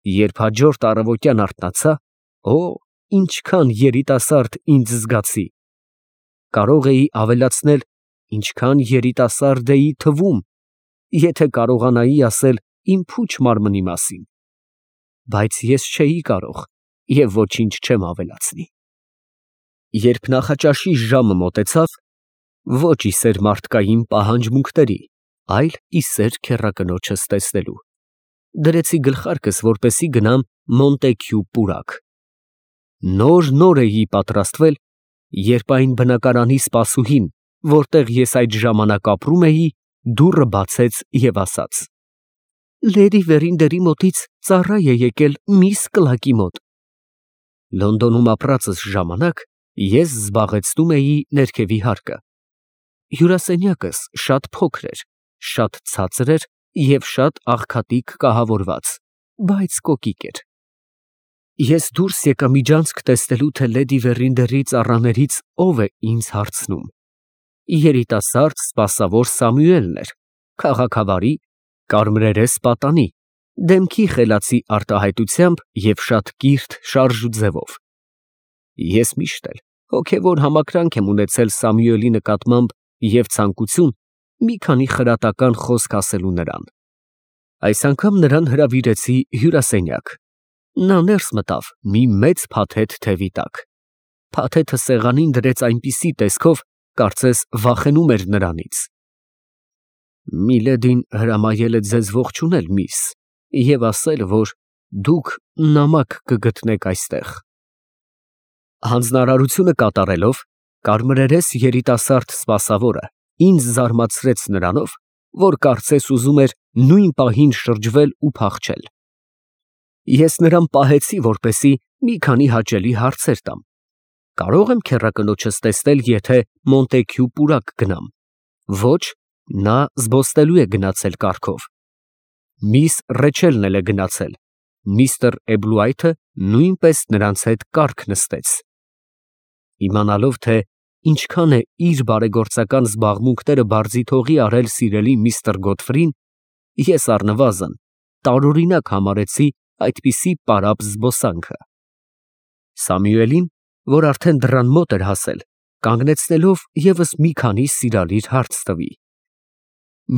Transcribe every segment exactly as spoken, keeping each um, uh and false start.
Երբ հաջորդ առավոտյան արթնացա, օ, ինչքան երիտասարդ ինձ զգացի. կարող էի ավելացնել, ինչքան երիտասարդ էի թվում, եթե կարողանայի ասել իմ փուչ մարմնի մասին, բայց ես չէի կարող և ոչինչ չեմ ավելացնի։ Երբ նախաճաշի ժամը մոտեցավ, ոչ ի սեր մարդկային պահանջմունքների, այլ ի սեր քեռակնոջս տեսնելու, դրեցի գլխարկս, որպեսզի գնամ Մոնտեքյու պուրակ։ Նոր֊նոր էի պատրաստվել, երբ այն բնակարանի սպասուհին, որտեղ ես այդ ժամանակ ապրում էի, դուռը բացեց և ասաց. «Լեդի Վերինդերի մոտից ծառա է եկել միս Կլակի մոտ»։ Լոնդոնում ապրածս ժամանակ ես զբաղեցնում էի ներքևի հարկը։ Հյուրասենյակս շատ փոքր էր, շատ ցածր էր և շատ աղքատիկ կահավորված, բայց կոկիկ էր։ Ես դուրս եկա միջանցք տեսնելու, թե լեդի Վերինդերի ծառաներից ով է ինձ հարցնում։ Երիտասարդ սպասավոր Սամուելն էր, քաղաքավարի, կարմրերես պատանի, դեմքի խելացի արտահայտությամբ և շատ կիրթ շարժուձևով։ Ես միշտ էլ հոգևոր համակրանք եմ ունեցել Սամուելի նկատմամբ և ցանկություն մի քանի խրատական խոսք ասելու նրան։ Այս անգամ նրան հրավիրեցի հյուրասենյակ։ Նա ներս մտավ մի մեծ փաթեթ թևի տակ։ Փաթեթը սեղանին դրեց այնպիսի տեսքով, կարծես վախենում էր նրանից։ Միլեդին հրամայել է ձեզ ողջունել, միս, և ասել, որ դուք նամակ կգտնեք այստեղ։ Հանձնարարությունը կատարելով, կարմրերես երիտասարդ սպասավորը ինձ զարմացրեց նրանով, որ կարծես ուզում էր նույն պահին շրջվել ու փախչել։ Ես նրան պահեցի, որպեսզի մի քանի հաճելի հարցեր տամ. կարո՞ղ եմ քեռակնոջս տեսնել, եթե Մոնտեքյու պուրակ գնամ։ Ոչ, նա զբոսնելու է գնացել կառքով։ Միս Ռեչելն էլ է գնացել, միստր Էբլուայթը նույնպես նրանց հետ կառք նստեց։ Իմանալով, թե ինչքան է իր բարեգործական զբաղմունքները բարձի թողի արել սիրելի միստր Գոդֆրին, ես առնվազն տարօրինակ համարեցի այդպիսի պարապ զբոսանքը։ Սամուելին, որ արդեն դռան մոտ էր հասել, կանգնեցնելով ևս մի քանի սիրալիր հարց տվի.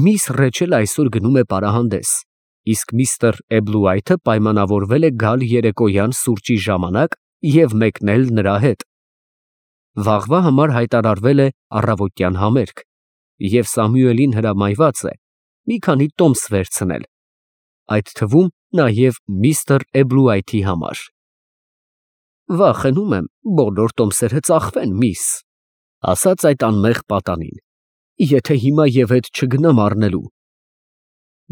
«Միս Ռեչելը այսօր գնում է պարահանդես, իսկ միստր Էբլուայթը պայմանավորվել է գալ երեկոյան սուրճի ժամանակ և մեկնել նրա հետ։ Վաղվա համար հայտարարվել է առավոտյան համերգ, և Սամուելին հրամայված է մի քանի տոմս վերցնել, այդ թվում նաև միստր Էբլուայթի համար»։ «Վախենում եմ, բոլոր տոմսերը ծախվեն, միս», ասաց այդ անմեղ պատանին, «եթե հիմա և հետ չգնամ առնելու»։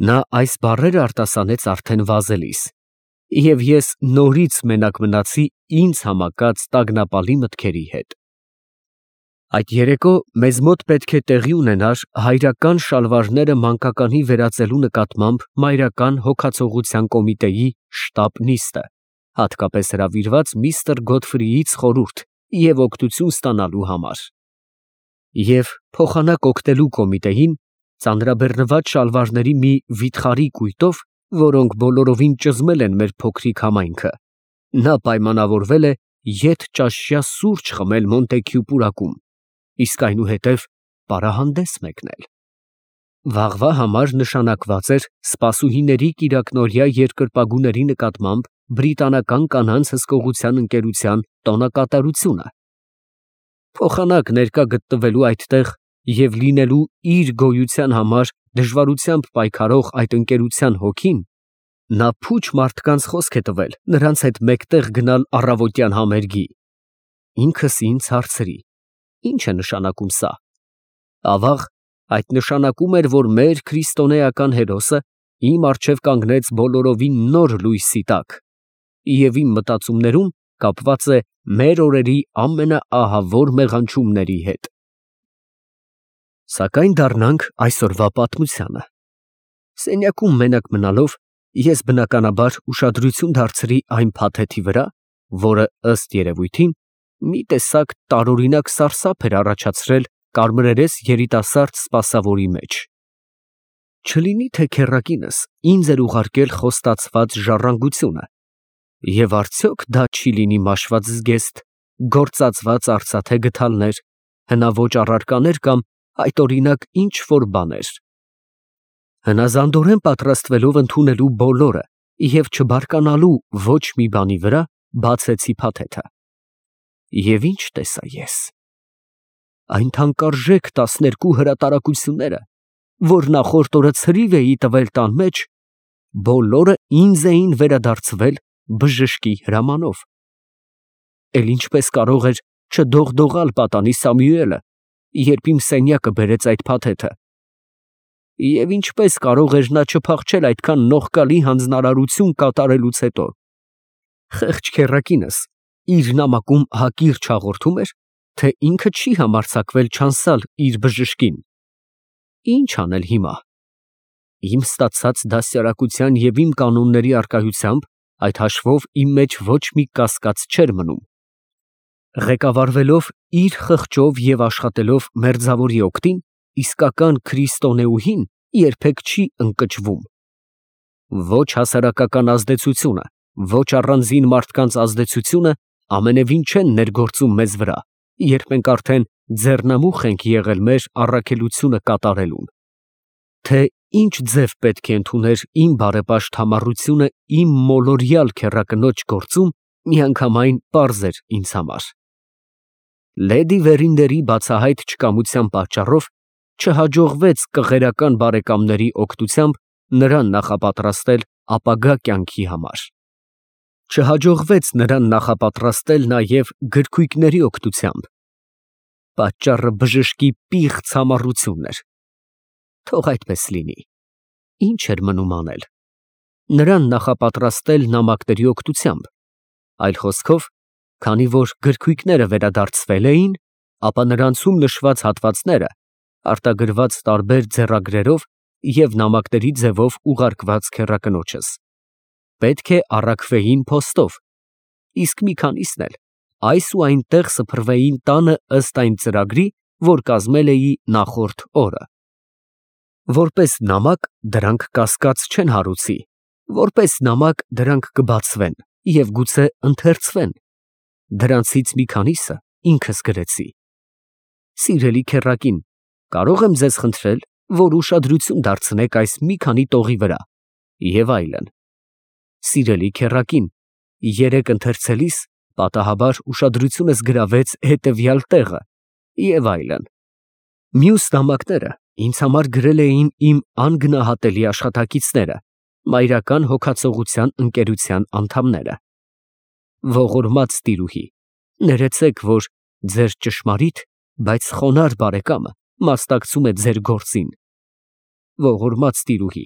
Նա այս բառերը արտասանեց արդեն վազելիս, և ես նորից մենակ մնացի ինձ համակած տագնապալի մտքերի հետ։ Այդ երեկո մեզ մոտ պետք է տեղի ունենար հայրական շալվարները մանկականի վերածելու նկատմամբ մայրական հոգացողության կոմիտեի շտապ նիստը, հատկապես հրավիրված միստր Գոդֆրիից խորհուրդ և օգնություն ստանալու համար։ Եվ փոխանակ օգնելու կոմիտեին ծանրաբեռնված շալվարների մի վիթխարի կույտով, որոնք բոլորովին ճզմել են մեր փոքրիկ համայնքը, նա պայմանավորվել է ետճաշյա սուրճ խմել Մոնտեքյու պուրակում, իսկ այնուհետև պարահանդես մեկնել։ Վաղվա համար նշանակված էր սպասուհիների կիրակնօրյա երկրպագուների նկատմամբ բրիտանական կանանց հսկողության ընկերության տոնակատարությունը։ Փոխանակ ներկա գտնվելու այդտեղ և լինելու իր գոյության համար դժվարությամբ պայքարող այդ ընկերության հոգին, նա փուչ մարդկանց խոսք է տվել նրանց հետ մեկտեղ գնալ առավոտյան համերգի։ Ինքս ինձ հարցրի. ի՞նչ է նշանակում սա։ Ավաղ, այդ նշանակում էր, որ մեր քրիստոնեական հերոսը իմ առջև կանգնեց բոլորովին նոր լույսի տակ, և իմ մտածումներում կապված է մեր օրերի ամենաահավոր մեղանչումների հետ։ Սակայն դառնանք այսօրվա պատմությանը։ Սենյակում մենակ մնալով, ես բնականաբար ուշադրություն դարձրի այն փաթեթի վրա, որը, ըստ երևույթին, մի տեսակ տարօրինակ սարսափ էր առաջացրել կարմրերես երիտասարդ սպասավորի մեջ։ Չլինի թե քեռակինս ինձ էր ուղարկել խոստացված ժառանգությունը, և արդյոք դա չի լինի մաշված զգեստ, գործածված արծաթե գդալներ, հնաոճ առարկաներ կամ այդօրինակ ինչ֊որ բաներ։ Հնազանդորեն պատրաստվելով ընդունելու բոլորը և չբարկանալու ոչ մի բանի վրա, բացեցի փաթեթը։ Եվ ի՞նչ տեսա ես. այն թանկարժեք տասներկու հրատարակությունները, որ նախորդ օրը ցրիվ էի տվել տան մեջ, բոլորը ինձ էին վերադարձվել բժշկի հրամանով։ Էլ ինչպես կարող էր չդողդողալ պատանի Սամուելը, երբ իմ սենյակը բերեց այդ փաթեթը, և ինչպես կարող էր նա չփախչել այդքան նողկալի հանձնարարություն կատարելուց հետո։ Խեղճ քեռակինս իր նամակում հակիրճ հաղորդում էր, թե ինքը չի համարձակվել չանցալ իր բժշկին։ Ի՞նչ անել հիմա։ Իմ ստացած դաստիարակության և իմ կանոնների առկայությամբ այդ հաշվով իմ մեջ ոչ մի կասկած չէր մնում։ Ղեկավարվելով իր խղճով և աշխատելով մերձավորի օգտին, իսկական քրիստոնեուհին երբեք չի ընկճվում։ Ոչ հասարակական ազդեցությունը, ոչ առանձին մարդկանց ազդեցությունը ամենևին չեն ներգործում մեզ վրա, երբ մենք արդեն ձեռնամուխ ենք եղել մեր առաքելությունը կատարելուն։ Թե ինչ ձև պետք է ընդուներ իմ բարեպաշտ համառությունը իմ մոլորյալ քեռակնոջ գործում, միանգամայն պարզ էր ինձ համար։ Լեդի Վերինդերի բացահայտ չկամության պատճառով չհաջողվեց կղերական բարեկամների օգնությամբ նրան նախապատրաստել ապագա կյանքի համար։ Չհաջողվեց նրան նախապատրաստել նաև գրքույկների օգնությամբ։ Պատճառը բժշկի պիղծ համառությունն էր։ Թող այդպես լինի։ Ինչ էր մնում անել։ Նրան նախապատրաստել նամակների օգնությամբ, այլ խոսքով, քանի որ գրքույկները վերադարձվել էին, ապա նրանցում նշված հատվածները արտագրված տարբեր ձեռագրերով և նամակների ձևով ուղարկված քեռակնոջս, պետք է առաքվեին փոստով, իսկ մի քանիսն էլ այս ու այնտեղ սփռվեին տանը ըստ այն ծրագրի, որ կազմել էի նախորդ օրը։ Որպես նամակ դրանք կասկած չեն հարուցի, որպես նամակ դրանք կբացվեն և գուցե ընթերցվեն։ Դրանցից մի քանիսը ինքս գրեցի։ Սիրելի քեռակին, կարո՞ղ եմ ձեզ խնդրել, որ ուշադրություն դարձնեք այս մի քանի տողի վրա, և այլն։ Սիրելի քեռակին, երեկ ընթերցելիս պատահաբար ուշադրությունս գրավեց հետևյալ տեղը, և այլն։ Մյուս նամակները ինձ համար գրել էին իմ անգնահատելի աշխատակիցները, մայրական հոգացողության ընկերության անդամները։ Ողորմած տիրուհի, ներեցեք, որ ձեր ճշմարիտ, բայց խոնարհ բարեկամը մասնակցում է ձեր գործին։ Ողորմած տիրուհի,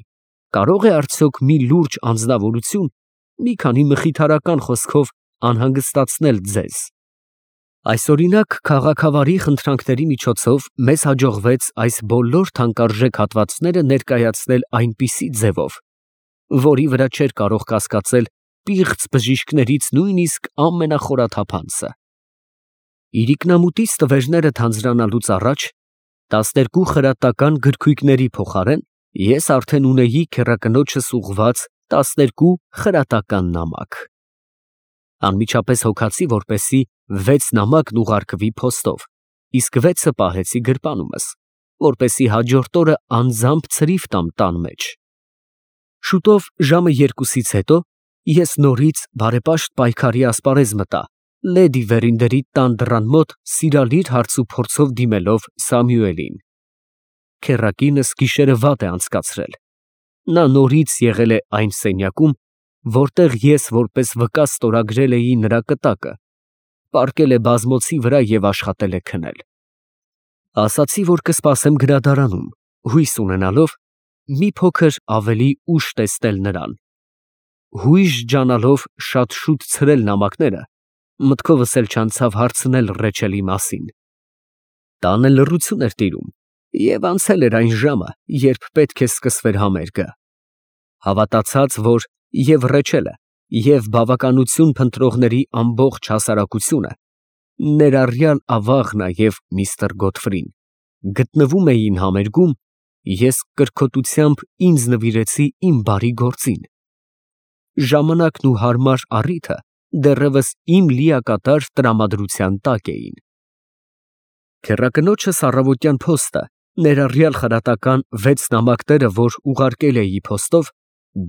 կարո՞ղ է արդյոք մի լուրջ անձնավորություն մի քանի մխիթարական խոսքով անհանգստացնել ձեզ։ Այսօրինակ քաղաքավարի խնդրանքների միջոցով մեզ հաջողվեց այս բոլոր թանկարժեք հատվածները ներկայացնել այնպիսի ձևով, որի վրա չէր կարող կասկածել պիղծ բժիշկներից նույնիսկ ամենախորաթափանցը։ Իրիկնամուտից տվերները թանձրանալուց առաջ տասներկու խրատական գրքույկների փոխարեն ես արդեն ունեի քեռակնոջս ուղղված տասներկու խրատական նամակ։ Անմիջապես հոգացի, որպեսզի վեց նամակն ուղարկվի փոստով, իսկ վեցը պահեցի գրպանումս, որպեսզի հաջորդ օրը անձամբ ցրիվ տամ տան մեջ։ Շուտով ժամը երկուսից հետո ես նորից բարեպաշտ պայքարի ասպարեզ մտա, լեդի Վերինդերի տան դռան մոտ սիրալիր հարցուփորձով դիմելով Սամուելին։ Քեռակինս գիշերը վատ է անցկացրել։ Նա նորից եղել է այն սենյակում, որտեղ ես որպես վկա ստորագրել էի նրա կտակը, պառկել է բազմոցի վրա և աշխատել է քնել։ Ասացի, որ կսպասեմ գրադարանում, հույս ունենալով մի փոքր ավելի ուշ տեսնել նրան։ Հույժ ջանալով շատ շուտ ցրել նամակները, մտքովս էլ չանցավ հարցնել Ռեչելի մասին։ Տանը լռություն էր տիրում, և անցել էր այն ժամը, երբ պետք է սկսվեր համերգը։ Հավատացած, որ և Ռեչելը, և բավականություն փնտրողների ամբողջ հասարակությունը, ներառյալ Ավաղն և միստր Գոդֆրին, գտնվում էին համերգում, Ես կրքոտությամբ ինձ նվիրեցի իմ բարի գործին։ Ժամանակն ու հարմար առիթը դեռևս իմ լիակատար տրամադրության տակ էին։ Քեռակնոջս առավոտյան փոստը, ներառյալ խրատական վեց նամակները, որ ուղարկել էի փոստով,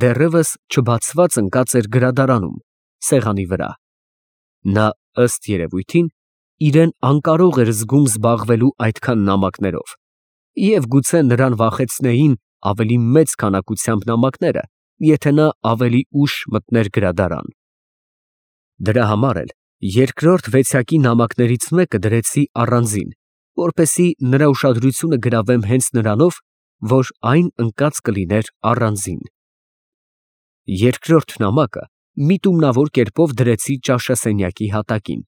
դեռևս չբացված ընկած էր գրադարանում, սեղանի վրա։ Նա, ըստ երևույթին, իրեն անկարող էր զգում զբաղվելու այդքան նամակներով, և գուցե նրան վախեցնեին ավելի մեծ քանակությամբ նամակները, եթե նա ավելի ուշ մտներ գրադարան։ Դրա համար էլ երկրորդ վեցյակի նամակներից մեկը դրեցի առանձին, որպեսզի նրա ուշադրությունը գրավեմ հենց նրանով, որ այն ընկած կլիներ առանձին։ Երկրորդ նամակը միտումնավոր կերպով դրեցի ճաշասենյակի հատակին։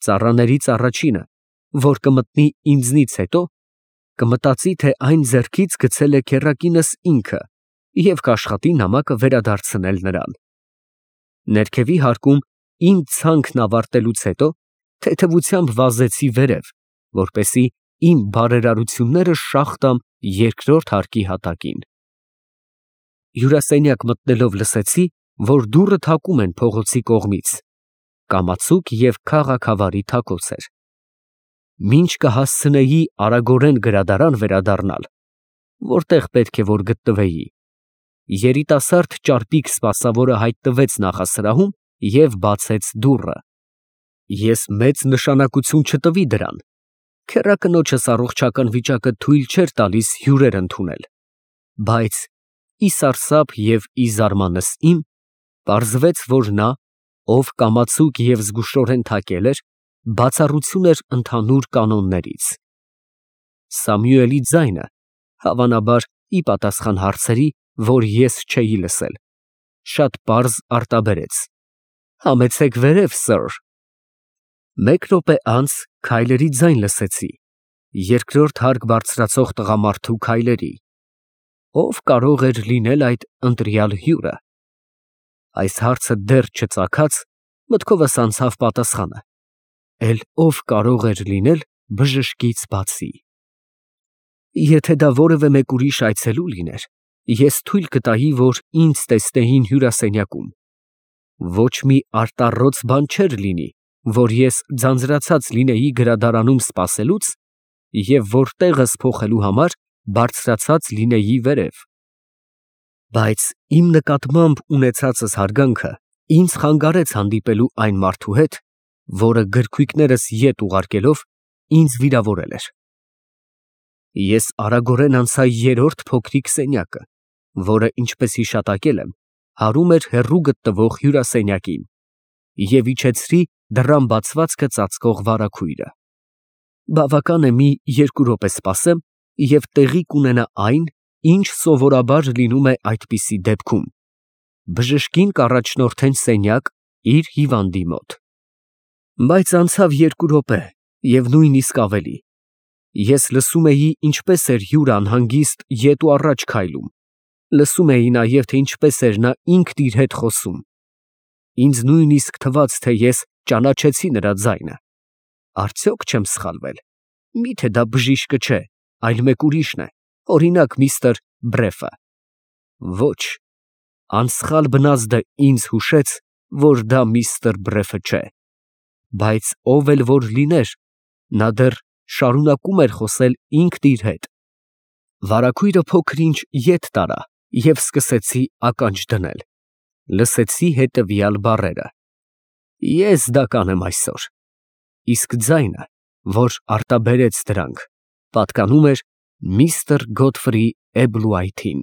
Ծառաներից առաջինը, որ կմտնի ինձնից հետո, կմտածի, թե այն ձեռքից գցել է քեռակինս ինքը և կաշխատի նամակը վերադարձնել նրան։ Ներքևի հարկում իմ ցանքն ավարտելուց հետո թեթևությամբ վազեցի վերև, որպեսզի իմ բարերարությունները շաղ տամ երկրորդ հարկի հատակին։ Հյուրասենյակ մտնելով լսեցի, որ դուռը թակում են փողոցի կողմից, կամացուկ և քաղաքավարի թակոց էր։ Մինչ կհասցնեի արագորեն գրադարան վերադառնալ, որտեղ պետք է որ գտնվեի, երիտասարդ ճարպիկ սպասավորը հայտնվեց նախասրահում և բացեց դուռը։ Ես մեծ նշանակություն չտվի դրան, քեռակնոջս առողջական վիճակը թույլ չէր տալիս հյուրեր ընդունել, բայց ի սարսափ և ի զարմանս իմ, պարզվեց, որ նա, ով կամացուկ և զգուշորեն թակել էր, բացառություն էր ընդհանուր կանոններից։ Սամուելի ձայնը, հավանաբար, ի պատասխան հարցերի, որ ես չէի լսել, շատ պարզ արտաբերեց. «Համեցեք վերև, սըր»։ Մեկ րոպե անց քայլերի ձայն լսեցի, երկրորդ հարկ բարձրացող տղամարդու քայլերի։ Ո՞վ կարող էր լինել այդ ընտրյալ հյուրը։ Այս հարցը դեռ չծագած, մտքովս անցավ պատասխանը. էլ ով կարող էր լինել բժշկից բացի։ Եթե դա որևէ մեկ ուրիշ այցելու լիներ, ես թույլ կտայի, որ ինձ տեսնեին հյուրասենյակում։ Ոչ մի արտառոց բան չէր լինի, որ ես ձանձրացած լինեի գրադարանում սպասելուց և որ տեղս փոխելու համար բարձրացած լինեի վերև։ Բայց իմ նկատմամբ ունեցածս հարգանքը ինձ խանգարեց հանդիպելու այն մարդու հետ, որը գրքույկներս ետ ուղարկելով ինձ վիրավորել էր։ Ես արագորեն անցա երրորդ փոքրիկ սենյակը, որը, ինչպես հիշատակել եմ, հարում էր հեռու գտնվող հյուրասենյակին, և իջեցրի դռան բացվածքը ծածկող վարագույրը։ Բավական է մի երկու րոպե սպասեմ, և տեղի կունենա այն, ինչ սովորաբար լինում է այդպիսի դեպքում. բժշկին կառաջնորդեն սենյակ իր հիվանդի մոտ։ Բայց անցավ երկու րոպե և նույնիսկ ավելի։ Ես լսում էի, ինչպես էր հյուրը անհանգիստ ետ ու առաջ քայլում, լսում էի նաև, թե ինչպես էր նա ինքն իր հետ խոսում։ Ինձ նույնիսկ թվաց, թե ես ճանաչեցի նրա ձայնը։ Արդյոք չեմ սխալվել, մի՞թե դա բժիշկը չէ, այլ մեկ ուրիշն է, օրինակ, միստր Բրեֆը։ Ոչ, անսխալ բնազդը ինձ հուշեց, որ դա միստր Բրեֆը չէ, բայց ով էլ որ լիներ, նա դեռ շարունակում էր խոսել ինքն իր հետ։ Վարագույրը փոքր֊ինչ ետ տարա և սկսեցի ականջ դնել։ Լսեցի հետևյալ բառերը. «Ես դա կանեմ այսօր»։ Իսկ ձայնը, որ արտաբերեց դրանք, պատկանում էր միստր Գոթֆրի Էբլուայթին։